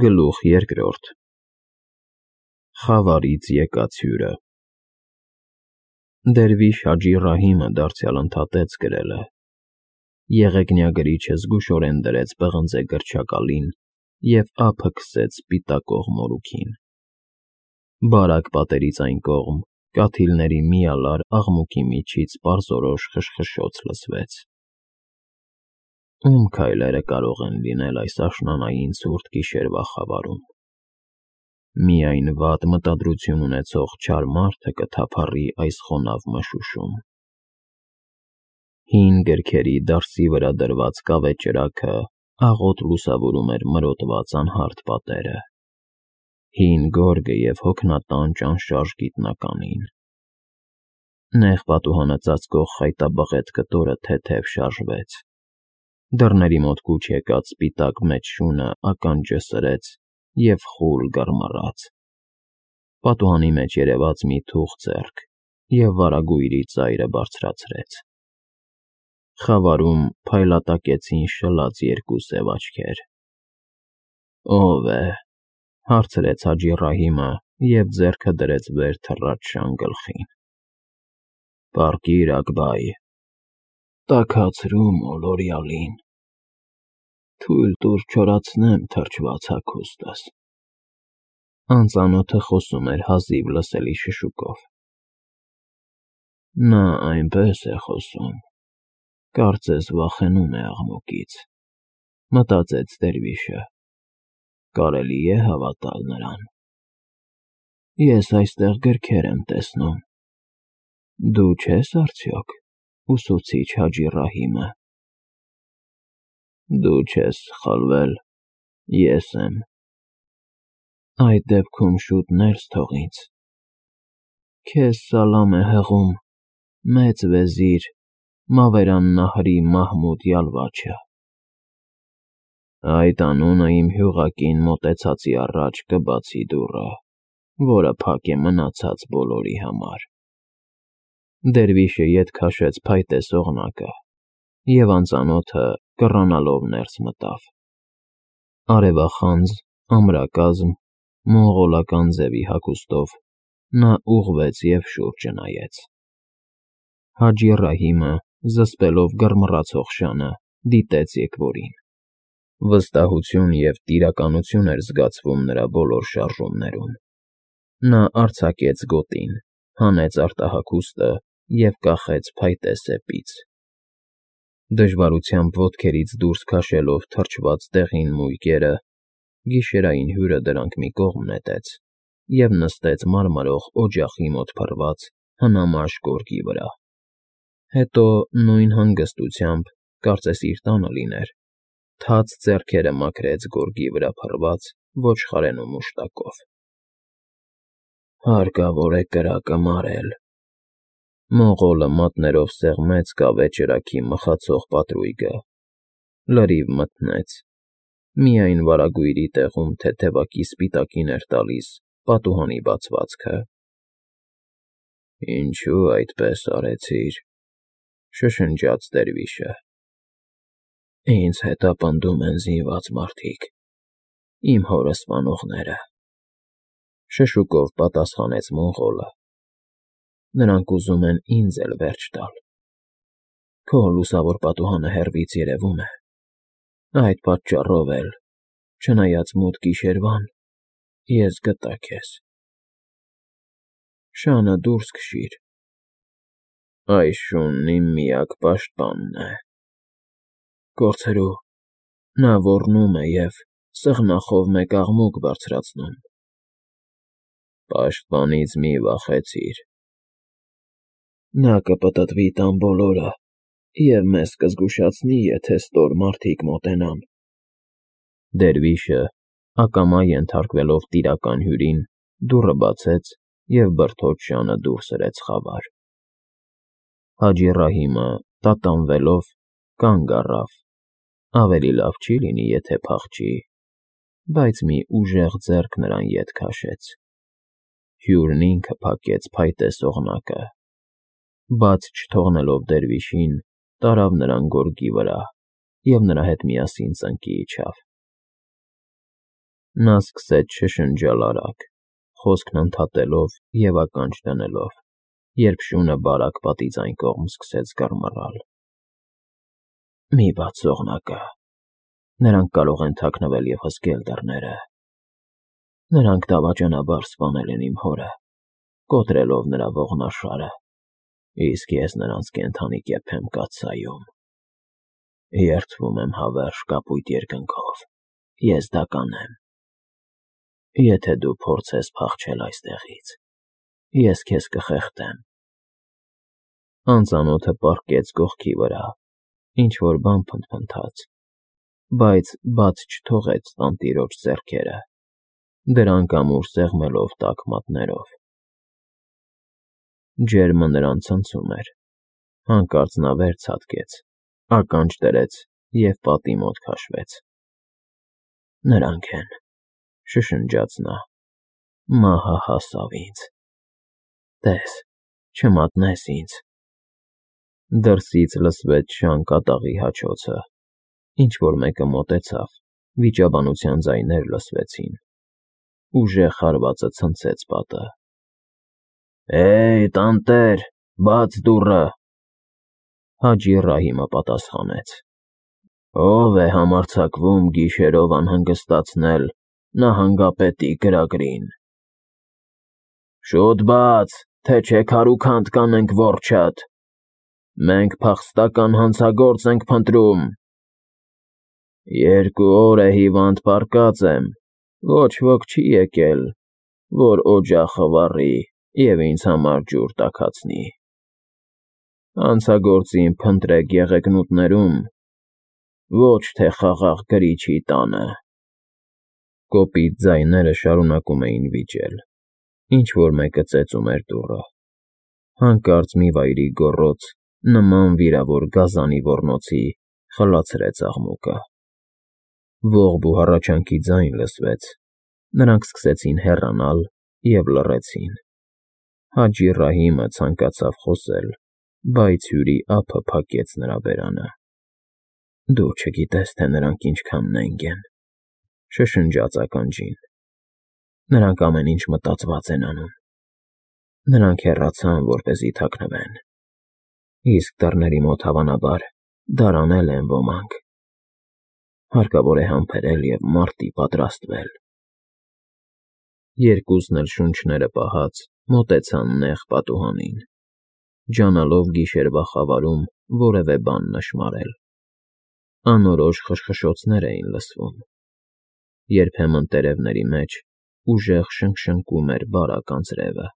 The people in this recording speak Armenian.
Գլուխ երկրորդ Խավարից եկած հյուրը Դերվիշ Հաջի Ռահիմը դարձյալ ընդհատեց գրելը, եղեգնյա գրիչը զգուշորեն դրեց պղնձե գրչակալին և ափը քսեց սպիտակող մորուքին։ Բարակ պատերից այն կողմ կաթիլների միալար աղմուկի միջից պարզորոշ խշխշոց լսվեց։ Ում քայլերը կարող են լինել այս աշնանային ցուրտ գիշերվա խավարում։ Միայն վատ մտադրություն ունեցող չար մարդը կթափառի այս խոնավ մշուշում։ Հին գրքերի դարսի վրա դրված կավե ճրագը աղոտ լուսավորում էր մրոտված անհարթ պատերը, հին գորգը և հոգնատանջ անշարժ գիտնականին։ Նեղ պատուհանը ծածկող խայտաբղետ կտորը թեթև շարժվեց։ Դռների մոտ կուչ եկած սպիտակ մեծ շունը ականջը սրեց և խուլ գռմռաց։ Պատուհանի մեջ երևաց մի թուխ ձեռք և վարագույրի ծայրը բարձրացրեց։ Խավարում փայլատակեցին շլած երկու սև աչքեր։ «Ո՞վ է,֊ հարցրեց Հաջի Ռահիմը և ձեռքը դրեց վեր թռած շան գլխին։ «Պառկիր, Ակբայ, տաքացրու մոլորյալին, թույլ տուր չորացնեմ թրջված հագուստս»։ Անծանոթը խոսում էր հազիվ լսելի շշուկով։ Նա այնպես է խոսում, կարծես վախենում է աղմուկից, մտածեց դերվիշը, կարելի է հավատալ նրան։ Ես այստեղ գրքեր եմ տեսնում։ Դու չես արդյոք ուսուցիչ Հաջի Ռահիմը։ Դու չես սխալվել, ես եմ։ Այդ դեպքում շուտ ներս թող ինձ։ Քեզ սալամ է հղում մեծ վեզիր Մավերան֊Նահրի Մահմուդ Յալվաչը։ Այդ անունը իմ հյուղակին մոտեցածի առաջ կբացի դուռը, որը փակ է մնացած բոլորի համար։ Դերվիշը ետ քաշեց փայտե սողնակը, և անծանոթը կռանալով ներս մտավ։ Արևախանձ, ամրակազմ, մոնղոլական ձևի հագուստով նա ուղղվեց և շուրջը նայեց։ Հաջի Ռահիմը, զսպելով գռմռացող շանը, դիտեց եկվորին։ Վստահություն և տիրականություն էր զգացվում նրա բոլոր շարժումներում։ Նա արձակեց գոտին, հանեց արտահագուստը և կախեց փայտե սեպից։ Դժվարությամբ ոտքերից դուրս քաշելով թրջված դեղին մույկերը, գիշերային հյուրը դրանք մի կողմ նետեց և նստեց մարմարող օջախի մոտ փռված հնամաշ գորգի վրա։ Հետո նույն հանգստությամբ, կարծես իր տանը լիներ, թաց ձեռքերը մաքրեց գորգի վրա փռված ոչխարենու մուշտակով։ Հարկավոր է կրակը մարել։ Մոնղոլը մատներով սեղմեց կավե ճրագի մխացող պատրույգը, լրիվ մթնեց, միայն վարագույրի տեղում թեթևակի սպիտակին էր տալիս պատուհանի բացվածքը։ Ինչու այդպես արեցիր,֊ շշնջաց դերվիշը։ Ինձ հետապնդում են զինված մարդիկ, իմ հորը սպանողները,֊ շշուկով պատասխանեց մոնղոլը։ Նրանք ուզում են ինձ էլ վերջ տալ։ Քո լուսավոր պատուհանը հեռվից երևում է։ Այդ պատճառով էլ, չնայած մութ գիշերվան, ես գտա քեզ։ Շանը դուրս քշիր։ Այս շունն իմ միակ պաշտպանն է։ Կորցրու, նա ոռնում է և սղնախով մեկ աղմուկ բարձրացնում։ Պաշտպանից մի վախեցիր։ Նա կպտտվի տան բոլորը և մեզ կզգուշացնի, եթե ստոր մարդիկ մոտենան։ Դերվիշը, ակամա ենթարկվելով տիրական հյուրին, դուռը բացեց և բրդոտ շանը դուրս հրեց խավար։ Հաջի Ռահիմը, տատանվելով, կանգ առավ։ Ավելի լավ չի լինի, եթե փախչի, բայց մի ուժեղ ձեռք նրան ետ քաշեց։ Հյուրն ինքը փակեց փայտե սողնակը, բաց չթողնելով դերվիշին, տարավ նրան գորգի վրա և նրա հետ միասին ծնկի իջավ։ Նա սկսեց շշնջալ արագ, խոսքն ընդհատելով և ականջ դնելով, երբ շունը բարակ պատից այն կողմ սկսեց կարմռալ։ Մի բաց սողնակը։ Նրանք կարող են թաքնվել և հսկել դռները։ Նրանք դավաճանաբար սպանել են իմ հորը, կոտրելով նրա ողնաշարը, իսկ ես նրանց կենդանի կեփեմ կաթսայում։ Երդվում եմ հավերժ կապույտ երկնքով, ես դա կանեմ։ Եթե դու փորձես փախչել այստեղից, ես քեզ կխեղդեմ։ Անծանոթը պառկեց գողքի վրա, ինչ-որ բան փնթփնթաց, բայց բաց չթողեց տանտիրոջ ձեռքերը, դրանք ամուր սեղմելով տաք մատներով։ Ջերմը նրան ցնցում էր, հանկարծ նա վեր ցատկեց, ականջ դրեց և պատի մոտ քաշվեց։ Նրանք են, շշնջաց նա, մահը հասավ ինձ, տես, չմատնես ինձ։ Դրսից լսվեց շան կատաղի հաչոցը, ինչ-որ մեկը մոտեցավ, վիճաբանության ձայներ լսվեցին, ուժեղ հարվածը ցնցեց պատը։ Հեյ, տանտեր, բաց դուռը։ Հաջի Ռահիմը պատասխանեց. Ո՞վ է համարձակվում գիշերով անհանգստացնել նահանգապետի գրագրին։ Շուտ բաց, թե չէ քարուքանդ կանենք որջդ։ Մենք փախստական հանցագործ ենք փնտրում։ 2 օր է հիվանդ պառկած եմ, ոչ ոք չի եկել, որ օջախը վառի և ինձ համար ջուր տաքացնի։ Հանցագործին փնտրեք եղեգնուտներում, ոչ թե խաղաղ գրիչի տանը։ Կոպիտ ձայները շարունակում էին վիճել, ինչ-որ մեկը ծեծում էր դուռը։ Հանկարծ մի վայրի գոռոց, նման վիրավոր գազանի ոռնոցի, խլացրեց աղմուկը։ Ողբ ու հառաչանքի ձայն լսվեց, նրանք սկսեցին հեռանալ և լռեցին։ Հաջի Ռահիմը ցանկացավ խոսել, բայց հյուրի ափը փակեց նրա բերանը։ Դու չգիտես, թե նրանք ինչքան նենգ են, շշնջաց ականջին։ Նրանք ամեն ինչ մտածված են անում։ Նրանք հեռացան, որպեսզի թաքնվեն, իսկ դռների մոտ հավանաբար դարանել են ոմանք։ Հարկավոր է համբերել և մարտի պատրաստվել։ Երկուսն էլ շունչները պահած մոտեցան նեղ պատուհանին, ջանալով գիշերվա խավարում որևէ բան նշմարել։ Անորոշ խշխշոցներ էին լսվում։ Երբեմն տերևների մեջ ուժեղ շնքշնկում էր բարակ անձրևը։